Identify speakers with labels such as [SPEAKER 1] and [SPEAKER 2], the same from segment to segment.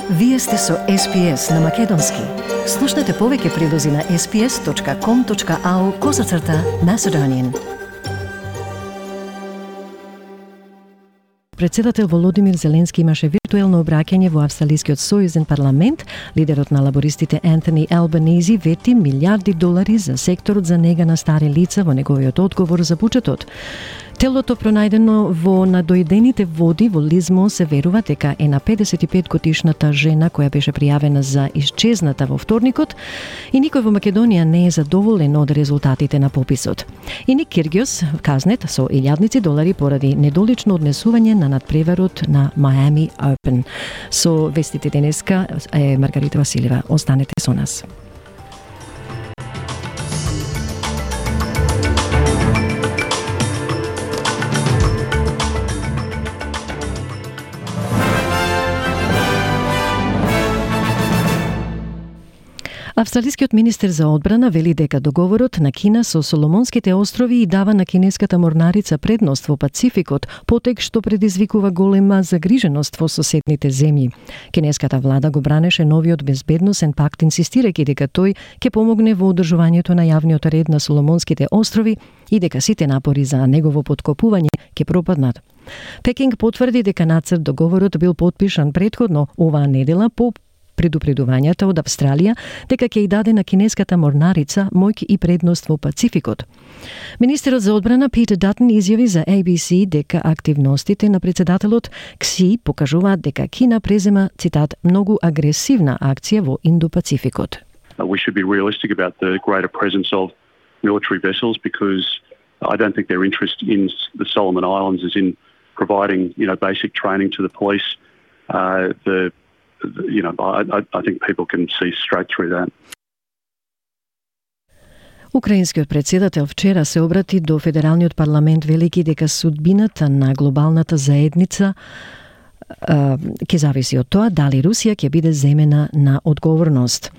[SPEAKER 1] Вие сте со SPS на Македонски. Слушнете повеќе прилози на sps.com.au/Macedonian. Председател Володимир Зеленски имаше виртуелно обраќање во Австралискиот сојузен парламент. Лидерот на лабористите Ентони Албанизи вети милиарди долари за секторот за нега на стари лица во неговиот одговор за буџетот. Телото пронајдено во надојдените води во Лизмо се верува дека е на 55-годишната жена која беше пријавена за исчезната во вторникот и никој во Македонија не е задоволен од резултатите на пописот. И Ник Киргиос казнет со илјадници долари поради недолично однесување на надпреварот на Miami Open. Со вестите денеска е Маргарита Василева. Останете со нас. Австралискиот министер за одбрана вели дека договорот на Кина со Соломонските острови и дава на кинеската морнарица предност во Пацификот, потек што предизвикува голема загриженост во соседните земји. Кинеската влада го бранеше новиот безбедносен пакт, инсистирајќи дека тој ќе помогне во одржувањето на јавниот ред на Соломонските острови и дека сите напори за негово поткопување ќе пропаднат. Пекинг потврди дека нацрт договорот бил потпишан претходно оваа недела по предупредувањата од Австралија дека ќе ја даде на кинеската морнарица моќ и предност во Пацификот. Министерот за одбрана Питер Датон изјави за ABC дека активностите на председателот Кси покажуваат дека Кина презема, цитат, многу агресивна акција во Индо-Пацификот.
[SPEAKER 2] We should be realistic about the greater presence of military vessels because I don't think their interest in the Solomon Islands is in providing, basic training to the police. I think people can see straight through that.
[SPEAKER 1] Украинскиот председател вчера се обрати до федералниот парламент велики дека судбината на глобалната заедница ќе зависи од тоа дали Русија ќе биде земена на одговорност.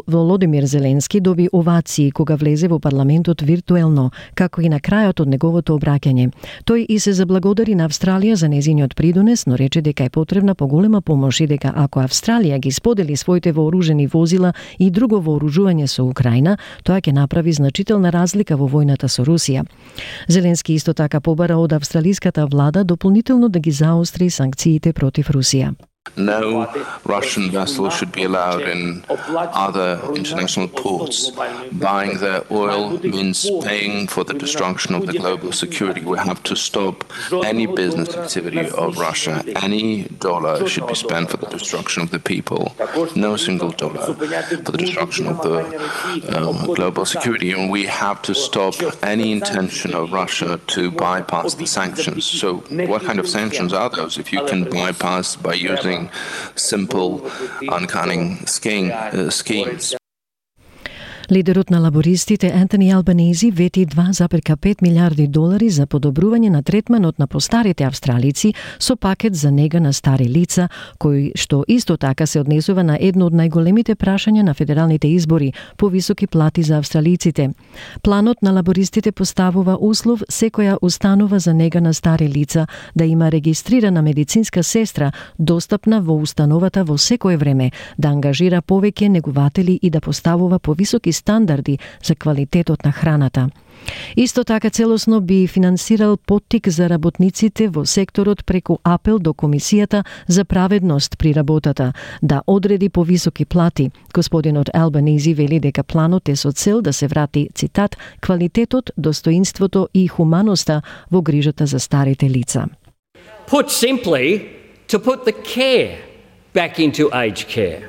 [SPEAKER 1] Володимир Зеленски доби овации кога влезе во парламентот виртуелно, како и на крајот од неговото обраќање. Тој и се заблагодари на Австралија за незиниот придонес, но рече дека е потребна поголема помош и дека ако Австралија ги сподели своите вооружени возила и друго вооружување со Украина, тоа ќе направи значителна разлика во војната со Русија. Зеленски исто така побара од австралиската влада дополнително да ги заостри санкциите против Русија.
[SPEAKER 3] No Russian vessel should be allowed in other international ports. Buying their oil means paying for the destruction of the global security. We have to stop any business activity of Russia. Any dollar should be spent for the destruction of the people. No single dollar for the destruction of the global security. And we have to stop any intention of Russia to bypass the sanctions. So what kind of sanctions are those if you can bypass by using simple, uncanny schemes?
[SPEAKER 1] Лидерот на лабористите Ентони Албанизи вети 2,5 милиарди долари за подобрување на третманот на постарите австралици со пакет за нега на стари лица, кој што исто така се однесува на едно од најголемите прашања на федералните избори, повисоки плати за австралиците. Планот на лабористите поставува услов секоја установа за нега на стари лица да има регистрирана медицинска сестра достапна во установата во секое време, да ангажира повеќе негуватели и да поставува повисоки стандарди за квалитетот на храната. Исто така целосно би финансирал поттик за работниците во секторот преку апел до Комисијата за праведност при работата да одреди повисоки плати. Господинот Албанизи вели дека планот е со цел да се врати, цитат, квалитетот, достоинството и хуманоста во грижата за старите лица.
[SPEAKER 4] Put simply, to put the care back into aged care.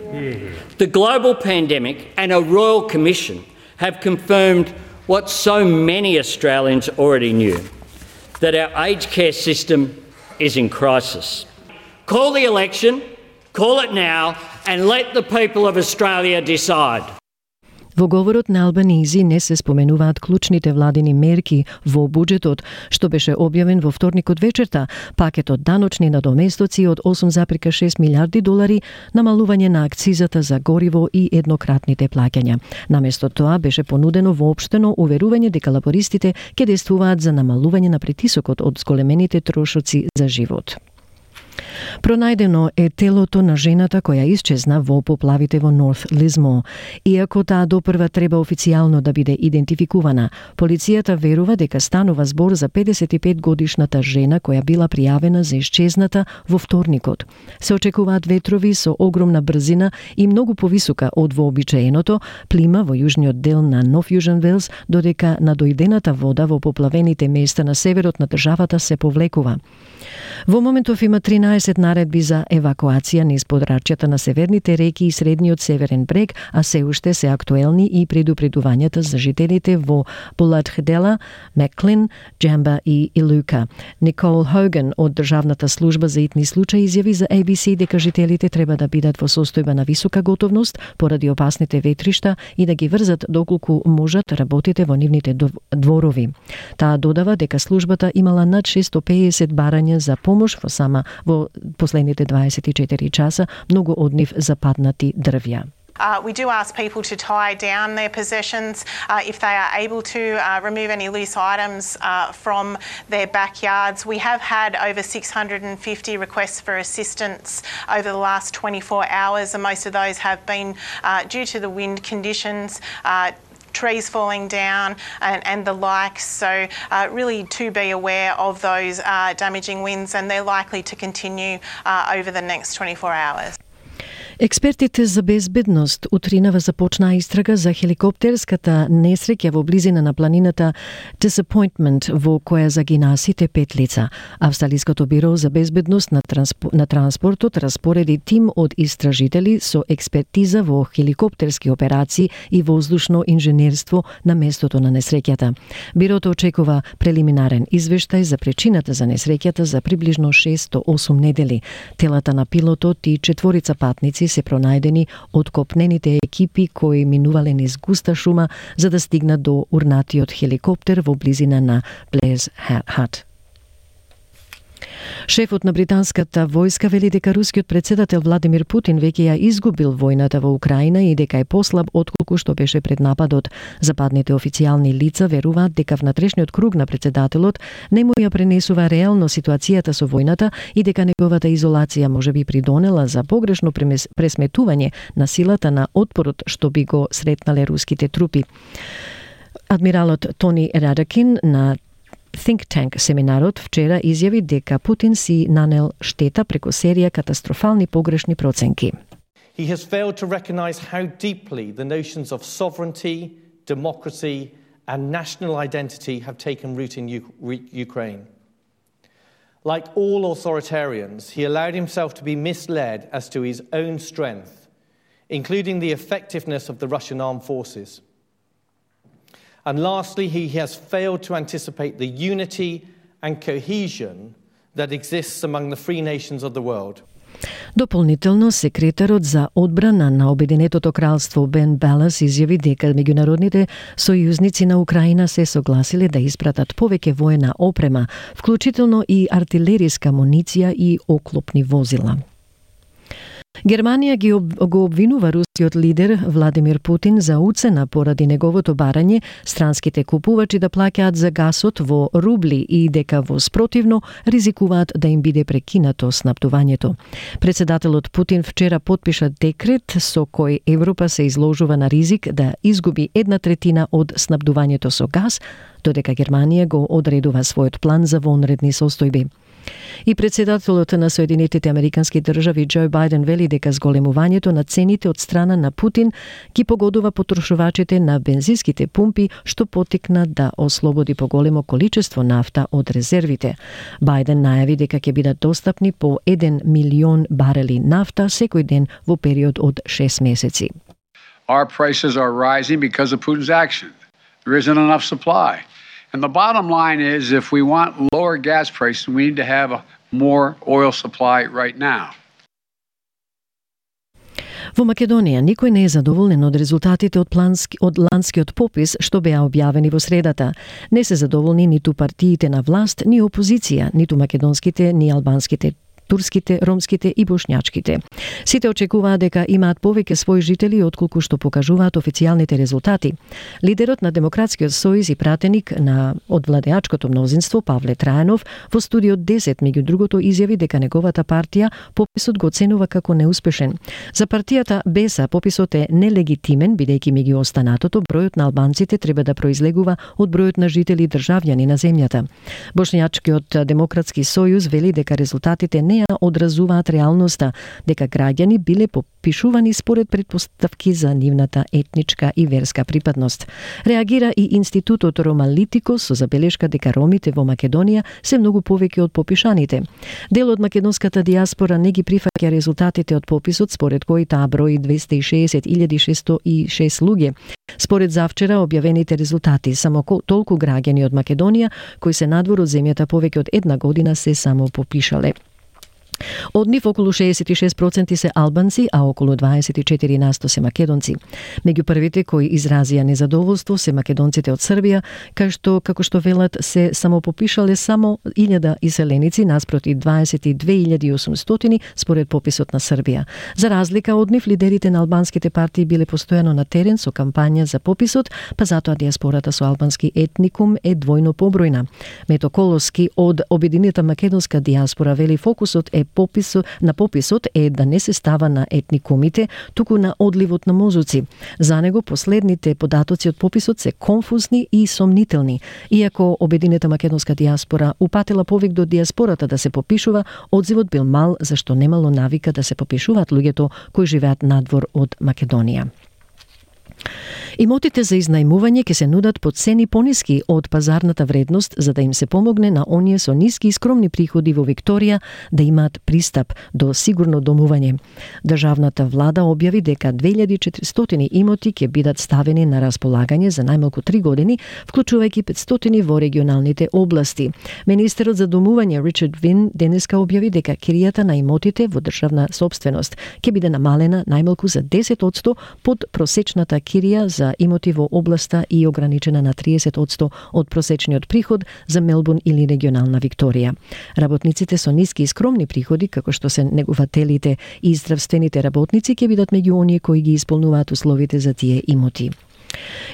[SPEAKER 4] The global pandemic and a Royal Commission have confirmed what so many Australians already knew, that our aged care system is in crisis. Call the election, call it now, and let the people of Australia decide.
[SPEAKER 1] Во говорот на Албанизи не се споменуваат клучните владини мерки во буџетот, што беше објавен во вторникот вечерта, пакетот даночни надоместоци од 8,6 милиарди долари, намалување на акцизата за гориво и еднократните плаќања. Наместо тоа беше понудено воопштено уверување дека лабористите ќе действуваат за намалување на притисокот од зголемените трошоци за живот. Пронајдено е телото на жената која исчезна во поплавите во Норт Лизмо. Иако таа допрва треба официјално да биде идентификувана, полицијата верува дека станува збор за 55-годишната жена која била пријавена за исчезната во вторникот. Се очекуваат ветрови со огромна брзина и многу повисока од вообичаеното плима во јужниот дел на Нов Јужен Велс, додека надојдената вода во поплавените места на северот на државата се повлекува. Во моментов има 13 наредби за евакуација низ подрачјата на северните реки и средниот северен брег, а се уште се актуелни и предупредувањата за жителите во Буладхедела, Меклин, Джамба и Илука. Никол Хоган од Државната служба за итни случаи изјави за ABC дека жителите треба да бидат во состојба на висока готовност поради опасните ветришта и да ги врзат доколку можат работите во нивните дворови. Таа додава дека службата имала над 650 барања за помош во последните 24 часа, многу од нив западнати дрвја.
[SPEAKER 5] We do ask people to tie down their possessions if they are able to remove any loose items from their backyards. We have had over 650 requests for assistance over the last 24 hours, and most of those have been due to the wind conditions, trees falling down and the like. So really to be aware of those damaging winds, and they're likely to continue over the next 24 hours.
[SPEAKER 1] Експертите за безбедност утринава започнаа истрага за хеликоптерската несреќа во близина на планината Disappointment во која загинаа сите 5 лица. Австралиското биро за безбедност на транспортот распореди тим од истражители со експертиза во хеликоптерски операции и воздушно инженерство на местото на несреќата. Бирото очекува прелиминарен извештај за причината за несреќата за приближно 6 до 8 недели. Телата на пилотот и 4 патници се пронајдени од копнените екипи кои минувале низ густа шума за да стигнат до урнатиот хеликоптер во близина на Блез Хат. Шефот на британската војска вели дека рускиот председател Владимир Путин веќе ја изгубил војната во Украина и дека е послаб отколку што беше пред нападот. Западните официјални лица веруваат дека внатрешниот круг на председателот не му ја пренесува реално ситуацијата со војната и дека неговата изолација може би придонела за погрешно пресметување на силата на отпорот што би го сретнале руските трупи. Адмиралот Тони Радакин на Think Tank семинарот вчера изјави дека Путин си нанел штета преку серија катастрофални погрешни проценки.
[SPEAKER 6] He has failed to recognize how deeply the notions of sovereignty, democracy and national identity have taken root in Ukraine. Like all authoritarians, he allowed himself to be misled as to his own strength, including the effectiveness of the Russian armed forces. And lastly, he has failed to anticipate the unity and cohesion that exists among the free nations of the world.
[SPEAKER 1] Дополнително, секретарот за одбрана на Обединетото кралство Бен Балас изјави дека меѓународните сојузници на Украина се согласиле да испратат повеќе воена опрема, вклучително и артилериска амуниција и оклопни возила. Германија го обвинува рускиот лидер Владимир Путин за уцена поради неговото барање странските купувачи да плаќаат за гасот во рубли и дека во спротивно ризикуваат да им биде прекинато снабдувањето. Председателот Путин вчера потпиша декрет со кој Европа се изложува на ризик да изгуби 1/3 од снабдувањето со газ, додека Германија го одредува својот план за вонредни состојби. И председателот на Соединетите Американски држави Џо Бајден вели дека зголемувањето на цените од страна на Путин ги погодува потрошувачите на бензинските пумпи, што потикна да ослободи поголемо количество нафта од резервите. Бајден најави дека ќе бидат достапни по 1 милион барели нафта секој ден во период од 6 месеци.
[SPEAKER 7] Our prices are rising because of Putin's action. There isn't enough supply. And the bottom line is, if we want lower gas prices, we need to have a more oil supply right now.
[SPEAKER 1] Во Македонија никој не е задоволен од резултатите од ланскиот попис што беа објавени во средата. Не се задоволни ниту партиите на власт, ни опозиција, ниту македонските, ни албанските турските, ромските и бошњачките. Сите очекуваат дека имаат повеќе своји жители отколку што покажуваат официјалните резултати. Лидерот на Демократскиот сојуз и пратеник од владеачкото мнозинство Павле Трајанов во студио 10 меѓу другото изјави дека неговата партија пописот го оценува како неуспешен. За партијата БЕСА пописот е нелегитимен бидејќи меѓу останатото бројот на албанците треба да произлегува од бројот на жители и државјани на земјата. Бошњачкиот Демократски сојуз вели дека резултатите не ја одразуваат реалноста, дека граѓани биле попишувани според претпоставки за нивната етничка и верска припадност. Реагира и Институтот Ромалитико со забелешка дека ромите во Македонија се многу повеќе од попишаните. Дел од македонската диаспора не ги прифаќа резултатите од пописот, според кои таа брои 260.606 луѓе. Според завчера објавените резултати, само толку граѓани од Македонија кои се надвор од земјата повеќе од една година се само попишале. Од нив околу 66% се албанци, а околу 24% се македонци. Меѓу првите кои изразија незадоволство се македонците од Србија, како што велат се самопопишале само 1000 иселеници наспроти 22.800 според пописот на Србија. За разлика од нив, лидерите на албанските партии биле постојано на терен со кампања за пописот, па затоа диаспората со албански етникум е двојно побројна. Мето Колоски од Обединета македонска диаспора вели фокусот на пописот е да не се става на етникумите, туку на одливот на мозоци. За него последните податоци од пописот се конфузни и сомнителни. Иако Обединета македонска диаспора упатила повик до диаспората да се попишува, одзивот бил мал зашто немало навика да се попишуваат луѓето кои живеат надвор од Македонија. Имотите за изнајмување ќе се нудат по цени пониски од пазарната вредност за да им се помогне на оние со ниски и скромни приходи во Викторија да имаат пристап до сигурно домување. Државната влада објави дека 2400 имоти ќе бидат ставени на располагање за најмалку 3 години, вклучувајќи 500 во регионалните области. Министерот за домување Ричард Вин денеска објави дека киријата на имотите во државна сопственост ќе биде намалена најмалку за 10% под просечната кирија за имоти во областа и ограничена на 30% од просечниот приход за Мелбурн или регионална Викторија. Работниците со ниски и скромни приходи, како што се негувателите и здравствените работници, ќе бидат меѓу оние кои ги исполнуваат условите за тие имоти.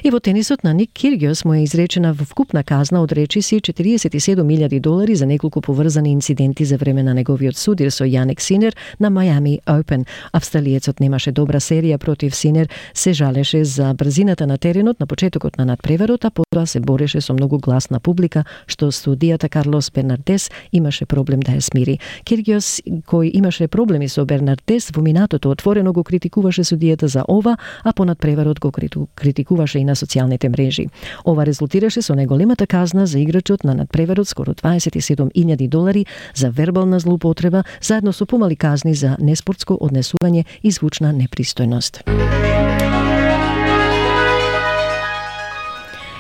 [SPEAKER 1] И во тенисот на Ник Киргиос му е изречена вкупна казна од речиси $47,000 за неколку поврзани инциденти за време на неговиот судир со Јанек Синер на Miami Open. Австралиецот немаше добра серија против Синер, се жалеше за брзината на теренот на почетокот на надпреварот, а потоа се бореше со многу гласна публика, што судијата Карлос Бернардес имаше проблем да ја смири. Киргиос, кој имаше проблеми со Бернардес, во минатото отворено го критикуваше судијата за ова, а по надпреварот го критикуваше и на социјалните мрежи. Ова резултираше со најголемата казна за играчот на надпреварот, скоро $27,000 за вербална злоупотреба, заедно со помали казни за неспортско однесување и звучна непристојност.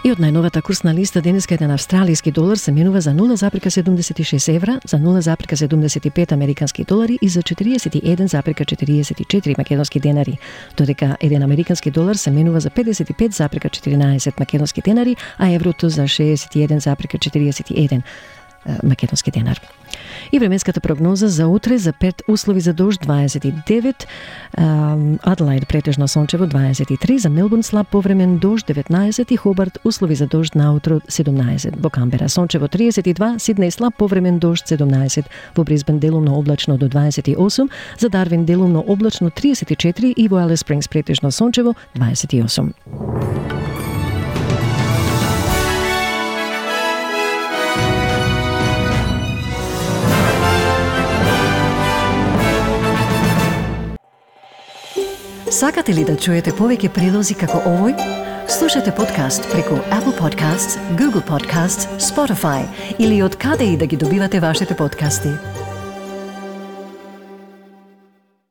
[SPEAKER 1] И од најновата курсна листа денеска еден австралиски долар се менува за 0,76 евра, за 0,75 американски долари и за 41,44 македонски денари, додека еден американски долар се менува за 55,14 македонски денари, а еврото за 61,41 македонски денар. И временската прогноза за утре за Перт услови за дожд 29, Аделаид претежно сончево 23, за Мелбурн слаб повремен дожд 19 и Хобарт услови за дожд наутро 17. Во Камбера сончево 32, Сиднеј слаб повремен дожд 17, во Брисбен делумно облачно до 28, за Дарвин делумно облачно 34 и во Алис Спрингс претежно сончево 28. Сакате ли да чуете повеќе прилози како овој? Слушате подкаст преку Apple Podcasts, Google Podcasts, Spotify или од каде и да ги добивате вашите подкасти.